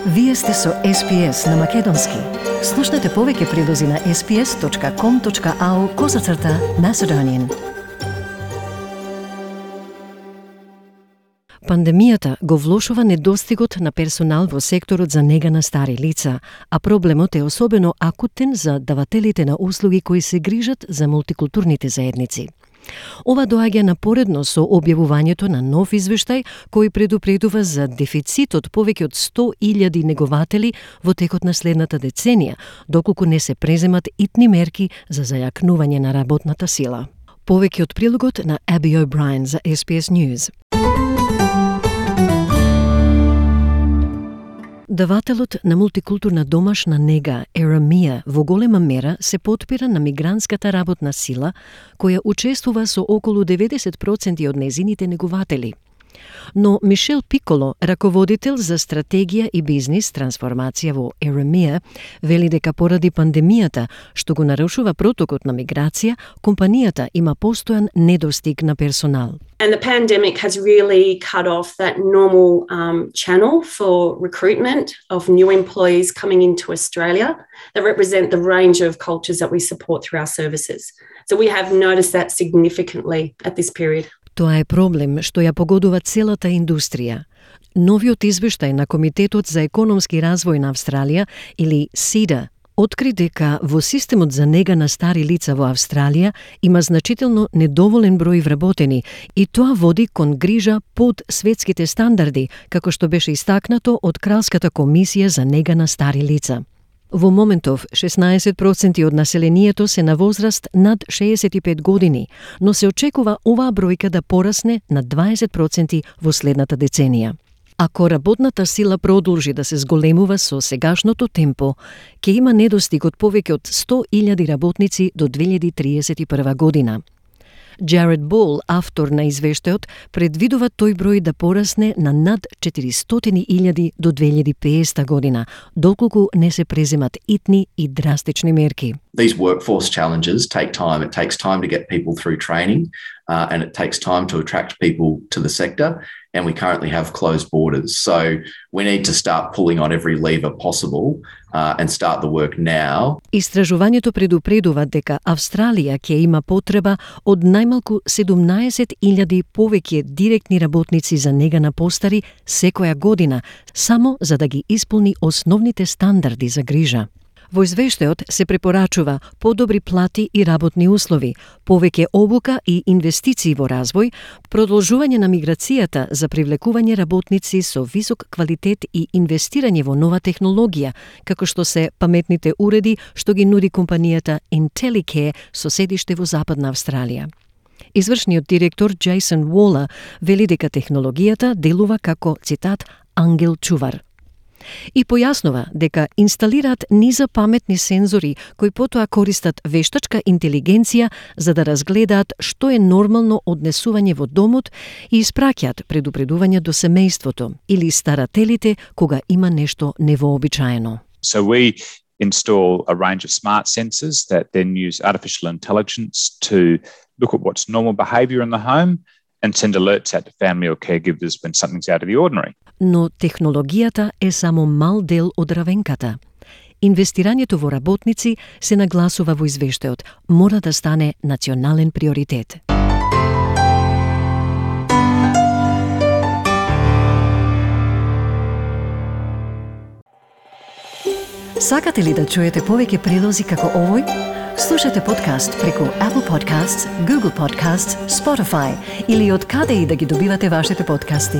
Вие сте со SPS на Македонски. Слушнете повеќе прилози на sps.com.au/Macedonian. Пандемијата го влошува недостигот на персонал во секторот за нега на стари лица, а проблемот е особено акутен за давателите на услуги кои се грижат за мултикултурните заедници. Ова доаѓа напоредно со објавувањето на нов извештај кој предупредува за дефицит од повеќе од 100.000 негователи во текот на следната деценија, доколку не се преземат итни мерки за зајакнување на работната сила. Повеќе од прилогот на Аби О'Брајен за SPS News. Давателот на мултикултурна домашна нега Еремија во голема мера се потпира на мигрантската работна сила, која учествува со околу 90% од незините негователи. Но Мишел Пиколо, раководител за стратегија и бизнис трансформација во Еремија, вели дека поради пандемијата, што го нарушува протокот на миграција, компанијата има постојан недостиг на персонал. And the pandemic has really cut off that normal channel for recruitment of new employees coming into Australia that represent the range of cultures that we support through our services. So we have noticed that significantly at this period. Тоа е проблем што ја погодува целата индустрија. Новиот извештај на Комитетот за економски развој на Австралија, или СИДА, откри дека во системот за нега на стари лица во Австралија има значително недоволен број вработени и тоа води кон грижа под светските стандарди, како што беше истакнато од Кралската комисија за нега на стари лица. Во моментов 16% од населението се на возраст над 65 години, но се очекува оваа бројка да порасне на 20% во следната деценија. Ако работната сила продолжи да се зголемува со сегашното темпо, ќе има недостиг од повеќе од 100.000 работници до 2031 година. Джаред Бол, автор на извештајот, предвидува тој број да порасне на над 400.000 до 2050 година, доколку не се преземат итни и драстични мерки. These workforce challenges take time. It takes time to get people through training, and it takes time to attract people to the sector, and we currently have closed borders. So we need to start pulling on every lever possible and start the work now. Истражувањето предупредува дека Австралија ќе има потреба од најмалку 17.000 повеќе директни работници за нега на постари секоја година, само за да ги исполни основните стандарди за грижа. Во извештајот се препорачува подобри плати и работни услови, повеќе обука и инвестиции во развој, продолжување на миграцијата за привлекување работници со висок квалитет и инвестирање во нова технологија, како што се паметните уреди што ги нуди компанијата Intellicare со седиште во Западна Австралија. Извршниот директор Джейсон Уолер вели дека технологијата делува како, цитат, ангел чувар. И појаснува дека инсталираат низа паметни сензори кои потоа користат вештачка интелигенција за да разгледаат што е нормално однесување во домот и испраќаат предупредување до семејството или старателите кога има нешто невообичаено. So we install a range of smart sensors that then use artificial intelligence to look at what's normal behaviour in the home and send alerts out to family or caregivers when something's out of the ordinary. Но технологијата е само мал дел од равенката. Инвестирањето во работници се нагласува во извештајот, мора да стане национален приоритет. Сакате ли да чуете повеќе прилози како овој? Слушате подкаст преку Apple Podcasts, Google Podcasts, Spotify или од каде и да ги добивате вашите подкасти.